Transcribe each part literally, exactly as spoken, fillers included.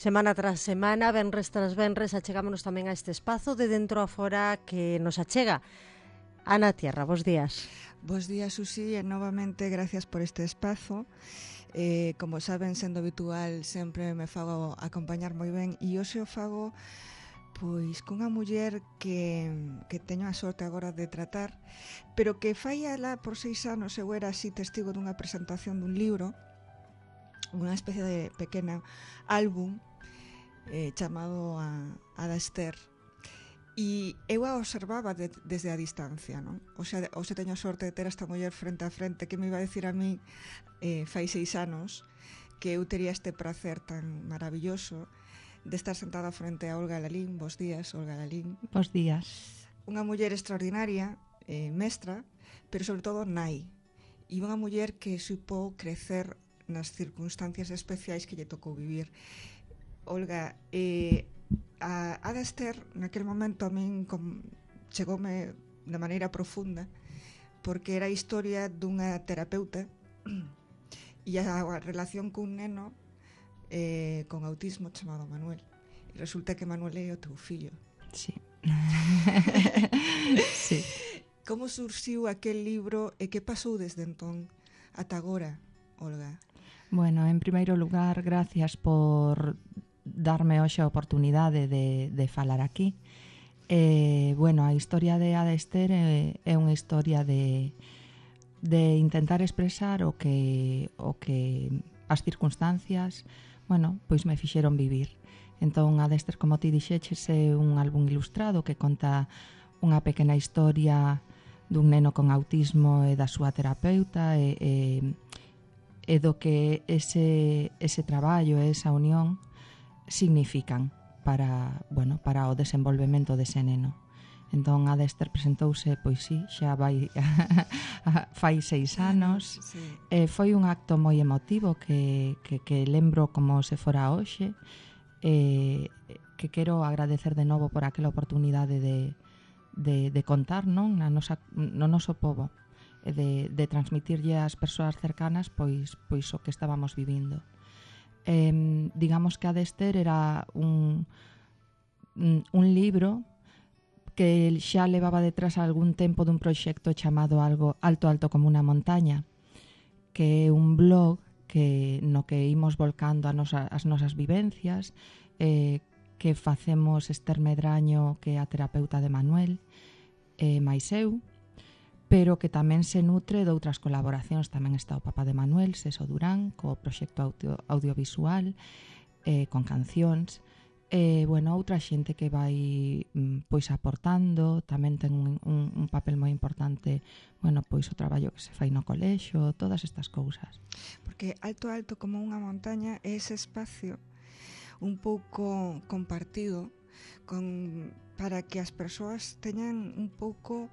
Semana tras semana, venres tras venres, achegámonos tamén a este espazo de dentro a fora que nos achega. Ana Tierra, bos días. Bos días, Susi, e novamente gracias por este espazo. Eh, como saben, sendo habitual, sempre me fago acompañar moi ben e hoxe o fago pois cunha muller que, que teño a sorte agora de tratar, pero que fai alá por seis anos eu era así testigo dunha presentación dun libro, unha especie de pequena álbum eh, chamado a, Ada Ester. E eu a observaba de, desde a distancia, non? O sea, o se teño a sorte de ter esta muller frente a frente que me iba a decir a mí eh, fai seis anos que eu tería este prazer tan maravilloso de estar sentada frente a Olga Lalín. Bos días, Olga Lalín. Bos días. Unha muller extraordinaria, eh, mestra, pero sobre todo nai. E unha muller que supo crecer nas circunstancias especiais que lle tocou vivir. Olga, eh, a Ada Ester naquel momento a min com, chegoume de maneira profunda porque era a historia dunha terapeuta e a, a relación cun neno eh, con autismo chamado Manuel, e resulta que Manuel é o teu fillo. Sí. Sí. Como surxiu aquel libro e que pasou desde entón ata agora, Olga? Bueno, en primeiro lugar, gracias por darme hoxe a oportunidade de, de falar aquí. Eh, bueno, a historia de Ada Ester é, é unha historia de, de intentar expresar o que, o que as circunstancias, bueno, pois me fixeron vivir. Entón, Ada Ester, como ti dixeches, é un álbum ilustrado que conta unha pequena historia dun neno con autismo e da súa terapeuta e, e, e do que ese, ese traballo e esa unión significan para, bueno, para o desenvolvemento dese neno. Entón, Ada Ester presentouse, pois sí, xa vai fai seis anos. Sí. Eh, foi un acto moi emotivo que, que, que lembro como se fora hoxe, eh, que quero agradecer de novo por aquela oportunidade de, de, de contar, non, na nosa, no noso pobo, e de, de transmitirlle ás persoas cercanas pois, pois o que estábamos vivindo. Eh, digamos que Ada Ester era un, un libro que xa levaba detrás algún tempo dun proxecto chamado algo Alto Alto como unha montaña, que é un blog que no que imos volcando a nosa, as nosas vivencias, eh, que facemos Ester Medraño, que é a terapeuta de Manuel, e eh, máis eu, pero que tamén se nutre de outras colaboracións. Tamén está o papá de Manuel, Seso Durán, co proxecto audio, audiovisual, eh, con cancións, e, eh, bueno, outra xente que vai pois aportando, tamén ten un, un, un papel moi importante, bueno, pois o traballo que se fai no colexo, todas estas cousas. Porque Alto Alto como unha montaña é ese espacio un pouco compartido con, para que as persoas teñan un pouco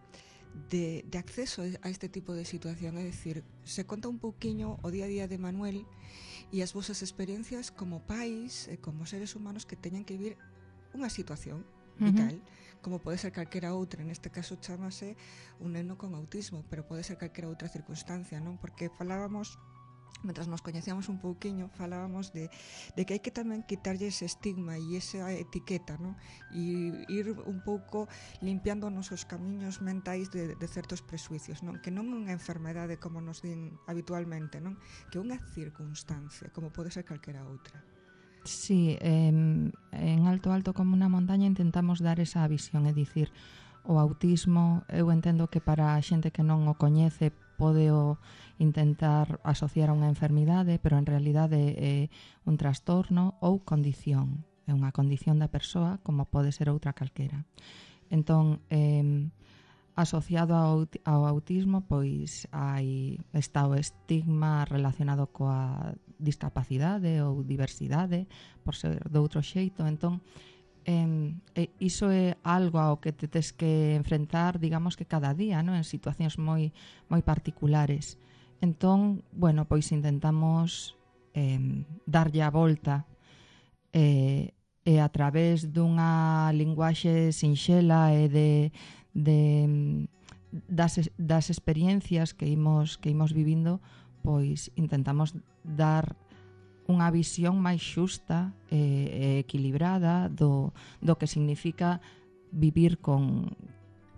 De, de acceso a este tipo de situación, é dicir, se conta un pouquiño o día a día de Manuel e as vosas experiencias como pais e como seres humanos que teñan que vivir unha situación vital, uh-huh. como pode ser calquera outra, neste caso chamase un neno con autismo, pero pode ser calquera outra circunstancia, non? Porque falábamos, mentras nos coñecíamos un pouquiño, falábamos de, de que hai que tamén quitarlle ese estigma e esa etiqueta, non? E ir un pouco limpiando os nosos camiños mentais de, de certos presuicios, non? Que non é unha enfermedade como nos din habitualmente, non? Que é unha circunstancia, como pode ser calquera outra. Sí, eh, en Alto Alto como unha montaña intentamos dar esa visión, é dicir, o autismo, eu entendo que para a xente que non o coñece pode o intentar asociar a unha enfermidade, pero en realidade é un trastorno ou condición. É unha condición da persoa como pode ser outra calquera. Entón, eh, asociado ao, ao autismo, pois hai, está o estigma relacionado coa discapacidade ou diversidade, por ser de outro xeito. Entón, Eh, eh, iso é algo ao que te tes que enfrentar, digamos que cada día, ¿no? En situacións moi moi particulares. Entón, bueno, pois intentamos eh, darlle a volta eh, e a través dunha linguaxe sinxela e de, de das, das experiencias que imos, que imos vivindo, pois intentamos dar unha visión máis xusta e eh, equilibrada do, do que significa vivir con,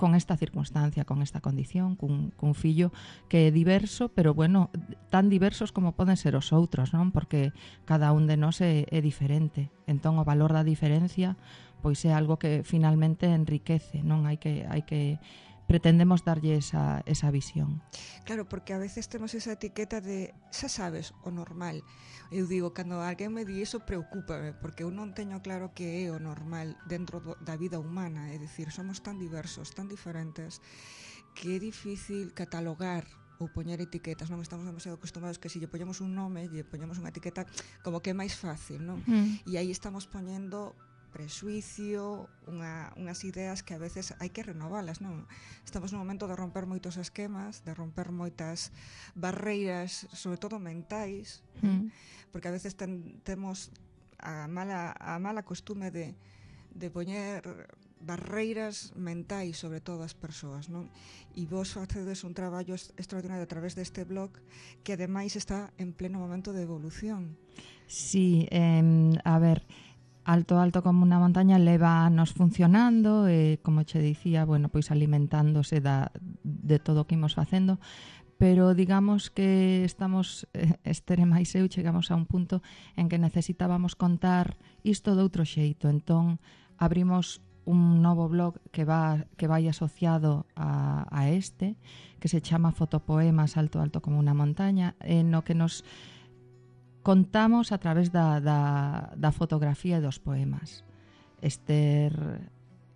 con esta circunstancia, con esta condición, cun, cun fillo que é diverso, pero bueno, tan diversos como poden ser os outros, non? Porque cada un de nós é, é diferente. Entón o valor da diferencia pois é algo que finalmente enriquece, non? Hai que hai que pretendemos darlle esa, esa visión. Claro, porque a veces temos esa etiqueta de xa sabes, o normal. Eu digo, cando alguén me di iso, preocúpame, porque eu non teño claro que é o normal dentro do, da vida humana. É dicir, somos tan diversos, tan diferentes, que é difícil catalogar ou poñer etiquetas, non estamos demasiado acostumados que se lle poñemos un nome, lle poñemos unha etiqueta, como que é máis fácil, non? Mm. E aí estamos poñendo prexuicio, unha, unhas ideas que a veces hai que renovalas, non? Estamos nun momento de romper moitos esquemas, de romper moitas barreiras, sobre todo mentais, mm. porque a veces ten, temos a mala, a mala costume de, de poñer barreiras mentais sobre todas as persoas, non? E vos facedes un traballo extraordinario a través deste blog que ademais está en pleno momento de evolución. Sí, eh, a ver, Alto Alto como unha montaña leva anos funcionando e, como che dicía, bueno, pois alimentándose da, de todo o que imos facendo, pero digamos que estamos, eh, Estere máis eu, chegamos a un punto en que necesitábamos contar isto de outro xeito. Entón, abrimos un novo blog que va que vai asociado a, a este, que se chama Fotopoemas Alto Alto como unha montaña, en no que nos contamos a través da, da, da fotografía e dos poemas. Ester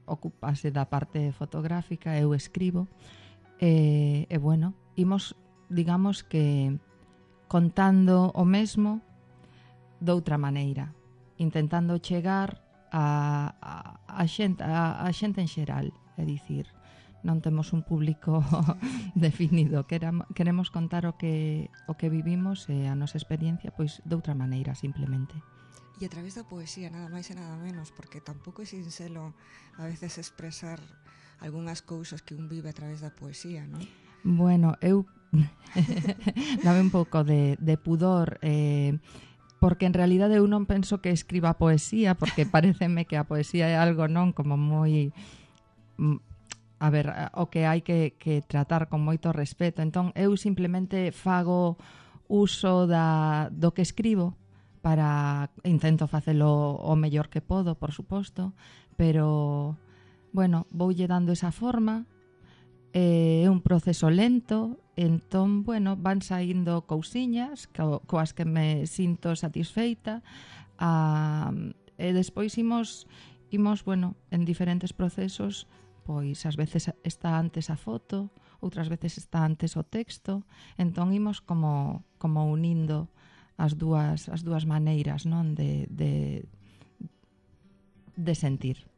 ocupase da parte fotográfica, eu escribo, e, e bueno, imos, digamos que, contando o mesmo doutra maneira, intentando chegar a, a, a, xente, a, a xente en xeral, é dicir, non temos un público definido, queremos contar o que o que vivimos e a nosa experiencia pois de outra maneira, simplemente. E a través da poesía, nada máis e nada menos, porque tampouco é sinxelo a veces expresar algunhas cousas que un vive a través da poesía, non? Bueno, eu dame un pouco de, de pudor, eh, porque en realidade eu non penso que escriba poesía, porque pareceme que a poesía é algo non como moi... a ver, o que hai que, que tratar con moito respeto. Entón, eu simplemente fago uso da, do que escribo para, intento facelo o mellor que podo, por suposto, pero, bueno, voulle dando esa forma, é un proceso lento, entón, bueno, van saindo cousiñas co, coas que me sinto satisfeita, a, e despois imos, imos, bueno, en diferentes procesos, pois ás veces está antes a foto, outras veces está antes o texto, entón imos como, como unindo as dúas, as dúas maneiras, non, de, de, de sentir.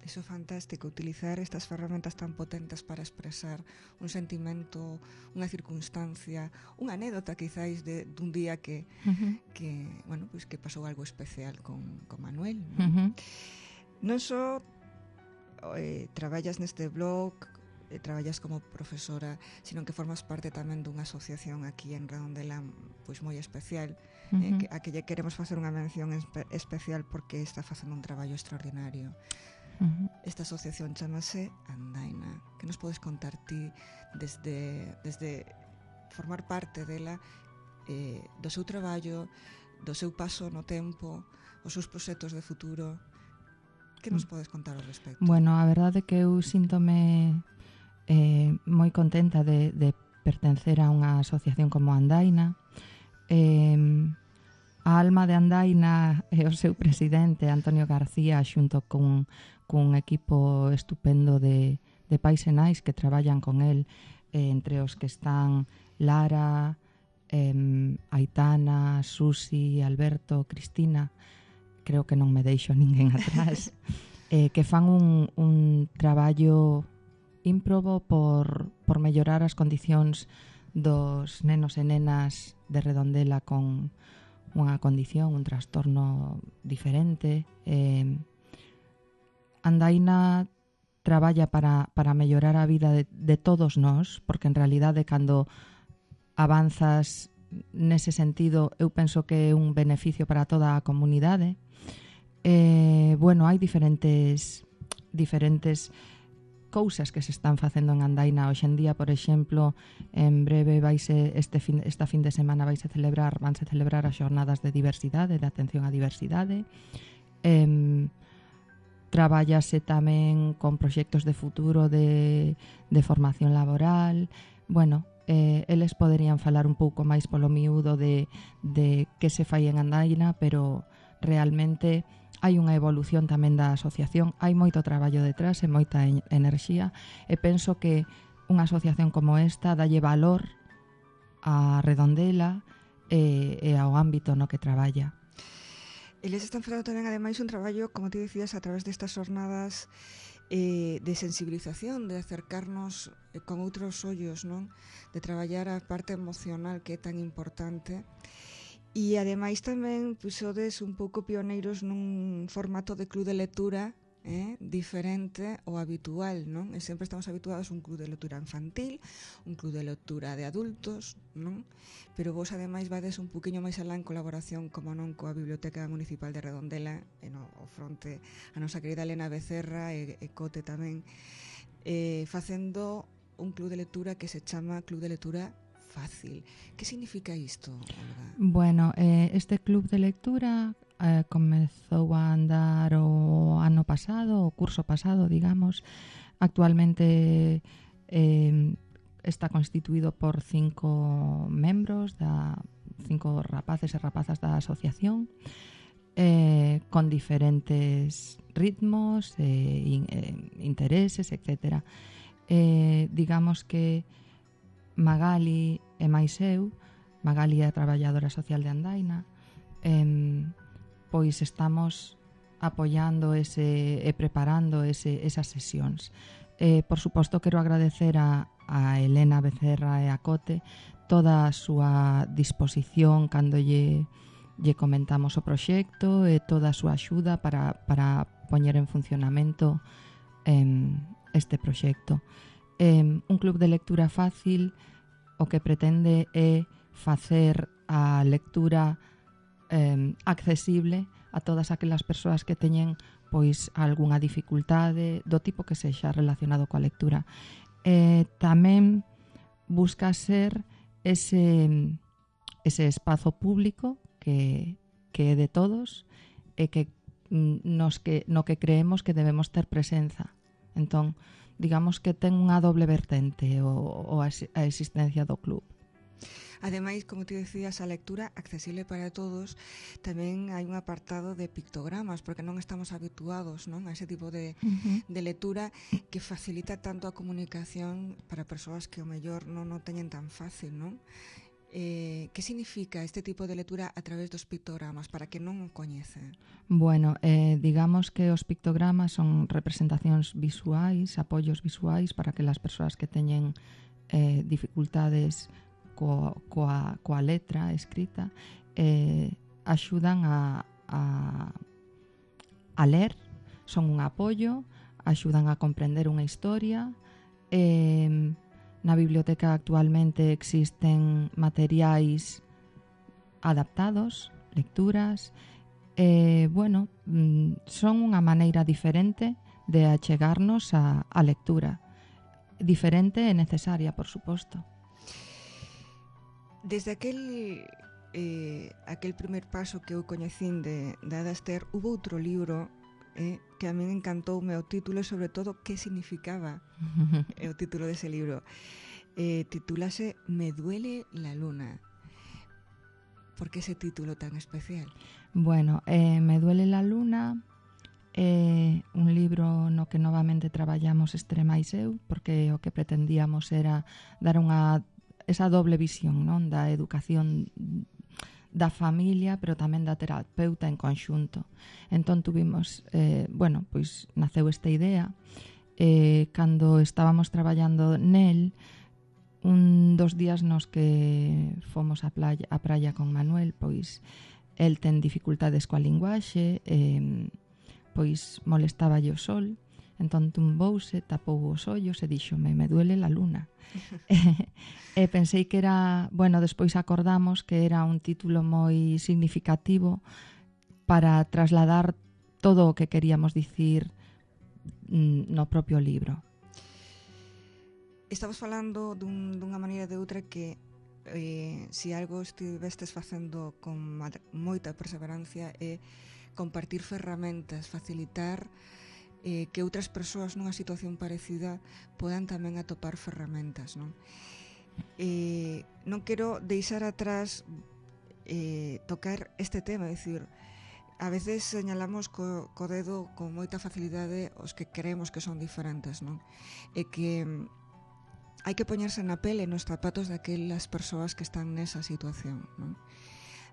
Iso é fantástico, utilizar estas ferramentas tan potentes para expresar un sentimento, unha circunstancia, unha anécdota quizáis de dun día que, uh-huh. que bueno, pois que pasou algo especial con, con Manuel, non? Uh-huh. Non só Eh, traballas neste blog, eh, traballas como profesora, sino que formas parte tamén dunha asociación aquí en Redondela pois moi especial, uh-huh. eh, que, a que lle queremos facer unha mención espe- especial porque está facendo un traballo extraordinario. Uh-huh. Esta asociación chamase Andaina. Que nos podes contar ti desde, desde formar parte dela, eh, do seu traballo, do seu paso no tempo, os seus proxectos de futuro? Que nos podes contar ao respecto? Bueno, a verdade é que eu síntome eh, moi contenta de, de pertencer a unha asociación como Andaina. Eh, a alma de Andaina e o seu presidente, Antonio García, xunto cun, cun equipo estupendo de, de pais e nais que traballan con el, eh, entre os que están Lara, eh, Aitana, Susi, Alberto, Cristina... creo que non me deixo ninguén atrás, eh, que fan un, un traballo ímprobo por, por mellorar as condicións dos nenos e nenas de Redondela con unha condición, un trastorno diferente. Eh, Andaina traballa para, para mellorar a vida de, de todos nós, porque en realidade cando avanzas nese sentido, eu penso que é un beneficio para toda a comunidade. Eh, bueno, hai diferentes diferentes cousas que se están facendo en Andaina hoxe en día. Por exemplo, en breve vaise este fin, esta fin de semana vaise celebrar, vanse celebrar as xornadas de diversidade, de atención á diversidade. Eh, traballase tamén con proxectos de futuro de, de formación laboral. Bueno, eh, eles poderían falar un pouco máis polo miúdo de, de que se fai en Andaina, pero realmente hai unha evolución tamén da asociación, hai moito traballo detrás e moita en- enerxía, e penso que unha asociación como esta dalle valor á Redondela e, e ao ámbito no que traballa. Eles están facendo tamén, ademais, un traballo, como ti decías, a través destas jornadas eh, de sensibilización, de acercarnos eh, con outros ollos, non? De traballar a parte emocional que é tan importante. E ademais tamén puxodes un pouco pioneiros nun formato de club de lectura eh, diferente ao habitual, non? E sempre estamos habituados a un club de lectura infantil, un club de lectura de adultos, non? Pero vos ademais vades un poquinho máis alá en colaboración, como non, coa Biblioteca Municipal de Redondela, e no o fronte a nosa querida Elena Becerra e, e Cote tamén, eh, facendo un club de lectura que se chama Club de Lectura Fácil. Que significa isto, Olga? Bueno, eh, este club de lectura eh, comezou a andar o ano pasado, o curso pasado, digamos. Actualmente eh, está constituído por cinco membros, da, cinco rapaces e rapazas da asociación, eh, con diferentes ritmos, eh, in, eh, intereses, etcétera. Eh, digamos que Magali e máis eu, Magali é a traballadora social de Andaina, eh, pois estamos apoiando ese, e preparando ese, esas sesións. Eh, por suposto, quero agradecer a, a Elena Becerra e a Cote toda a súa disposición cando lle, lle comentamos o proxecto e toda a súa axuda para, para poñer en funcionamento eh, este proxecto. Eh, un club de lectura fácil o que pretende é facer a lectura eh, accesible a todas aquelas persoas que teñen pois algunha dificultade do tipo que sexa relacionado coa lectura. Eh, tamén busca ser ese, ese espazo público que, que é de todos e que nos que no que creemos que debemos ter presenza. Entón, digamos que ten unha doble vertente o, o a existencia do club. Ademais, como ti decías, a lectura accesible para todos, tamén hai un apartado de pictogramas, porque non estamos habituados, non, a ese tipo de, uh-huh. de lectura que facilita tanto a comunicación para persoas que o mellor non o teñen tan fácil, non? Eh, que significa este tipo de lectura a través dos pictogramas, para que non o coñece? Bueno, eh, digamos que os pictogramas son representacións visuais, apoios visuais para que as persoas que teñen eh, dificultades coa, coa, coa letra escrita eh, axudan a, a, a ler, son un apoio, axudan a comprender unha historia. eh, Na biblioteca actualmente existen materiais adaptados, lecturas, e, bueno, son unha maneira diferente de achegarnos a, a lectura. Diferente e necesaria, por suposto. Desde aquel eh, aquel primer paso que eu coñecín de, de Ada Ester, hubo outro libro eh, que a min encantoume o título e sobre todo que significaba o título dese libro. Eh, titulase Me duele la luna. Por que ese título tan especial? Bueno, eh, Me duele la luna é eh, un libro no que novamente traballamos Estrema e eu, porque o que pretendíamos era dar unha esa doble visión, non, da educación da familia, pero tamén da terapeuta en conxunto. Entón tuvimos, eh, bueno, pois naceu esta idea, eh, cando estábamos traballando nel, un dos días nos que fomos á playa, á praia con Manuel, pois el ten dificultades coa linguaxe, eh, pois molestáballe o sol, Entón tumbouse, tapou os ollos e díxome, me duele la luna. e, e pensei que era, bueno, despois acordamos que era un título moi significativo para trasladar todo o que queríamos dicir no propio libro. Estamos falando dun, dunha maneira de outra que eh, se algo estivestes facendo con moita perseverancia é compartir ferramentas, facilitar eh, que outras persoas nunha situación parecida podan tamén atopar ferramentas, non? Eh, non quero deixar atrás eh, tocar este tema, é dicir, a veces señalamos co, co dedo con moita facilidade os que creemos que son diferentes, non? E que hai que poñerse na pele nos zapatos daquelas persoas que están nesa situación, non?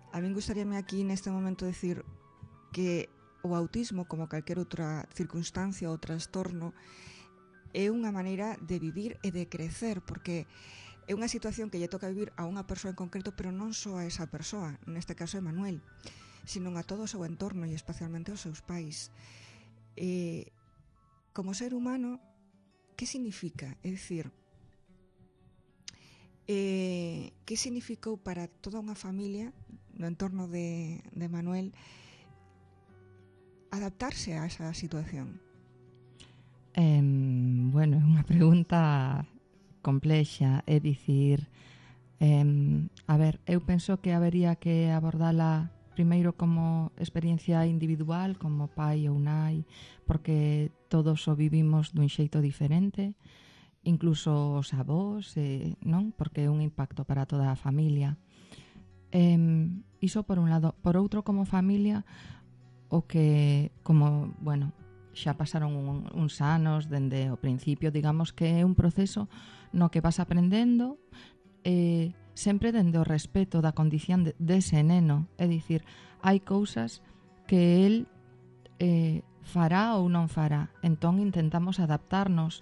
A min gustaríame aquí neste momento decir que o autismo, como calquer outra circunstancia ou trastorno, é unha maneira de vivir e de crecer, porque é unha situación que lle toca vivir a unha persoa en concreto, pero non só a esa persoa, neste caso é Manuel, sino a todo o seu entorno e especialmente aos seus pais. Eh, como ser humano, que significa? É dicir, eh, que significou para toda unha familia no entorno de, de Manuel adaptarse a esa situación? Eh, bueno, é unha pregunta complexa, é dicir, eh, a ver, eu penso que habería que abordala primeiro como experiencia individual, como pai ou nai, porque todos o vivimos dun xeito diferente, incluso os avós, eh, non? Porque é un impacto para toda a familia. Eh, iso por un lado. Por outro, como familia, o que, como, bueno, xa pasaron un, uns anos dende o principio, digamos que é un proceso no que vas aprendendo eh, sempre dende o respeto da condición de, dese neno, é dicir, hai cousas que el eh, fará ou non fará, entón intentamos adaptarnos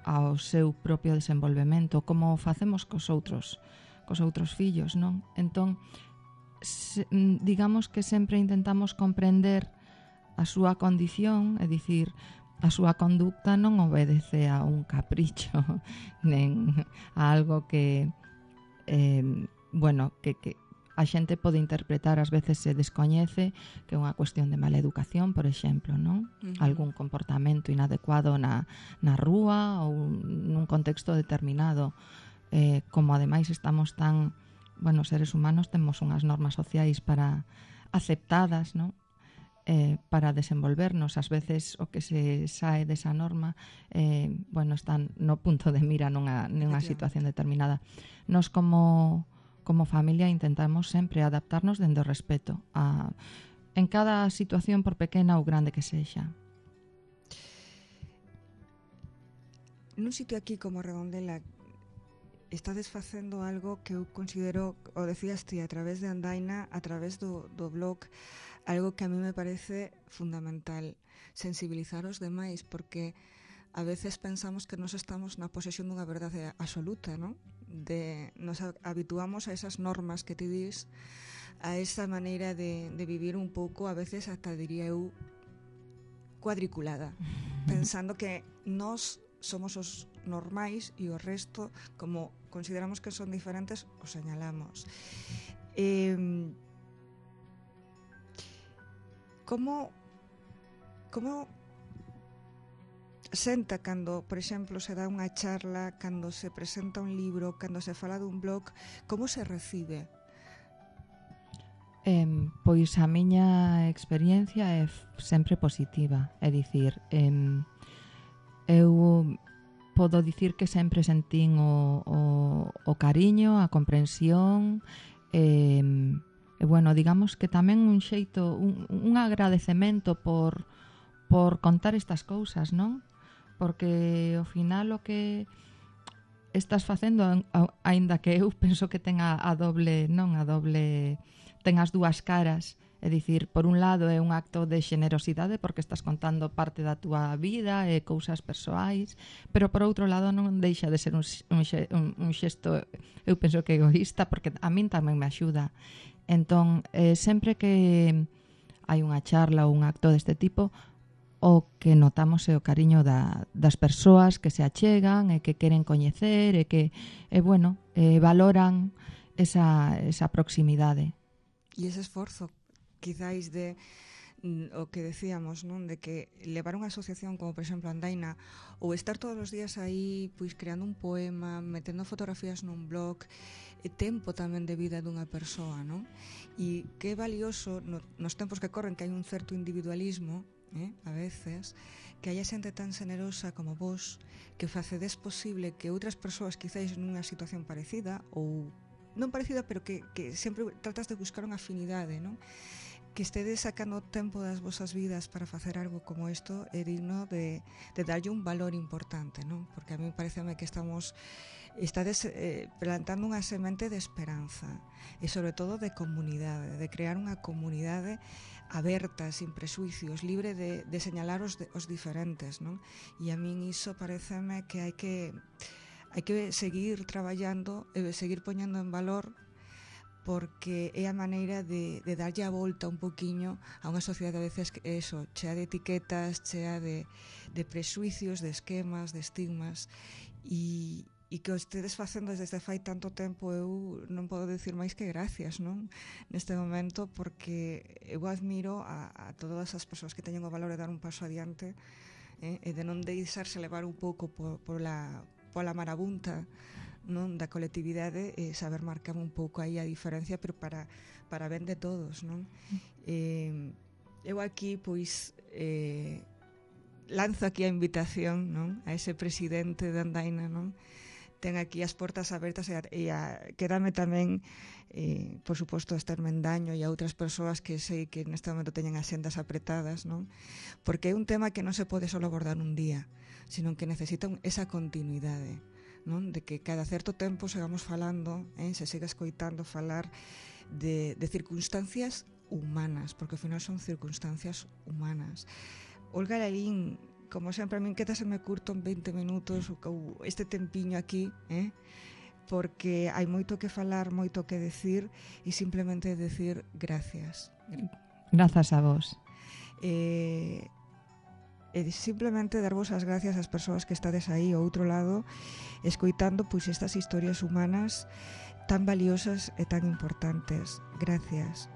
ao seu propio desenvolvemento, como facemos cos outros, cos outros fillos, non? Entón, se, digamos que sempre intentamos comprender a súa condición, é dicir, a súa conducta non obedece a un capricho nen a algo que eh, bueno, que, que a xente pode interpretar, ás veces se descoñece que é unha cuestión de mala educación, por exemplo, non? Uh-huh. Algún comportamento inadecuado na, na rúa ou nun contexto determinado, eh, como ademais estamos tan, bueno, seres humanos temos unhas normas sociais para aceptadas, non? Eh, para desenvolvernos, ás veces o que se sae desa norma eh, bueno, están no punto de mira nunha, nunha situación determinada. Nos como, como familia intentamos sempre adaptarnos dende o respeto a, en cada situación, por pequena ou grande que sexa. Nun sitio aquí como Redondela estades facendo algo que eu considero, o decías ti, a través de Andaina, a través do, do blog, algo que a mí me parece fundamental, sensibilizar os demais, porque a veces pensamos que nos estamos na posesión dunha verdade absoluta, non? De, nos habituamos a esas normas que ti dis, a esa maneira de, de vivir un pouco, a veces ata diría eu, cuadriculada, pensando que nós somos os normais e o resto, como consideramos que son diferentes, os señalamos. Eh, como como senta cando, por exemplo, se dá unha charla, cando se presenta un libro, cando se fala dun blog, como se recibe? Eh, pois a miña experiencia é sempre positiva, é dicir, eh, eu podo dicir que sempre sentín o, o, o cariño, a comprensión, eh, e bueno, digamos que tamén un xeito, un, un agradecemento por, por contar estas cousas, non? Porque ao final o que estás facendo, aínda que eu penso que ten a, a doble, non, a doble, ten as dúas caras, é dicir, por un lado é un acto de xenerosidade porque estás contando parte da túa vida e cousas persoais, pero por outro lado non deixa de ser un, un, un xesto, eu penso que egoísta, porque a min tamén me axuda. Entón, eh, sempre que hai unha charla ou un acto deste tipo, o que notamos é o cariño da, das persoas que se achegan e que queren coñecer e que, e, bueno, eh, valoran esa, esa proximidade. E ese esforzo, quizáis de o que decíamos, non, de que levar unha asociación como por exemplo Andaina ou estar todos os días aí pois creando un poema, metendo fotografías nun blog, e tempo tamén de vida dunha persoa, non? E que é valioso no, nos tempos que corren, que hai un certo individualismo, eh, a veces, que haya xente tan generosa como vos que facedes posible que outras persoas quizáis nunha situación parecida ou non parecida, pero que, que sempre tratas de buscar unha afinidade, non? Que estedes sacando tempo das vosas vidas para facer algo como isto é digno de, de darlle un valor importante, non? Porque a mí pareceme que estamos estades eh, plantando unha semente de esperanza e sobre todo de comunidade, de crear unha comunidade aberta, sin presuicios, libre de, de señalar os, de, os diferentes, non? E a min iso pareceme que hai que hai que seguir traballando e seguir poñendo en valor, porque é a maneira de, de darlle a volta un poquiño a unha sociedade a veces que eso, chea de etiquetas, chea de, de presuicios, de esquemas, de estigmas, e, e que o estedes facendo desde fai tanto tempo, eu non podo dicir máis que gracias, non? Neste momento, porque eu admiro a, a todas as persoas que teñen o valor de dar un paso adiante, eh, e de non deixarse levar un pouco por, por la, pola marabunta, non, da colectividade, e saber marcar un pouco aí a diferencia, pero para, para ben de todos, non? Eh, eu aquí, pois, eh, lanzo aquí a invitación, non, a ese presidente de Andaina, non? Ten aquí as portas abertas e, a, e a, quédame tamén, eh, por suposto, a Esther Mendaño e a outras persoas que sei que neste momento teñen as xendas apretadas, non? Porque é un tema que non se pode só abordar un día, sino que necesita un, esa continuidade, non? De que cada certo tempo sigamos falando, eh, se siga escoitando falar de, de circunstancias humanas, porque ao final son circunstancias humanas. Olga Lalín, como sempre, a min quédaseme curto en veinte minutos ou este tempiño aquí, eh? Porque hai moito que falar, moito que decir, e simplemente decir gracias. Grazas a vos. Eh, e simplemente darvos as gracias ás persoas que estades aí ao outro lado escoitando pois estas historias humanas tan valiosas e tan importantes. Gracias.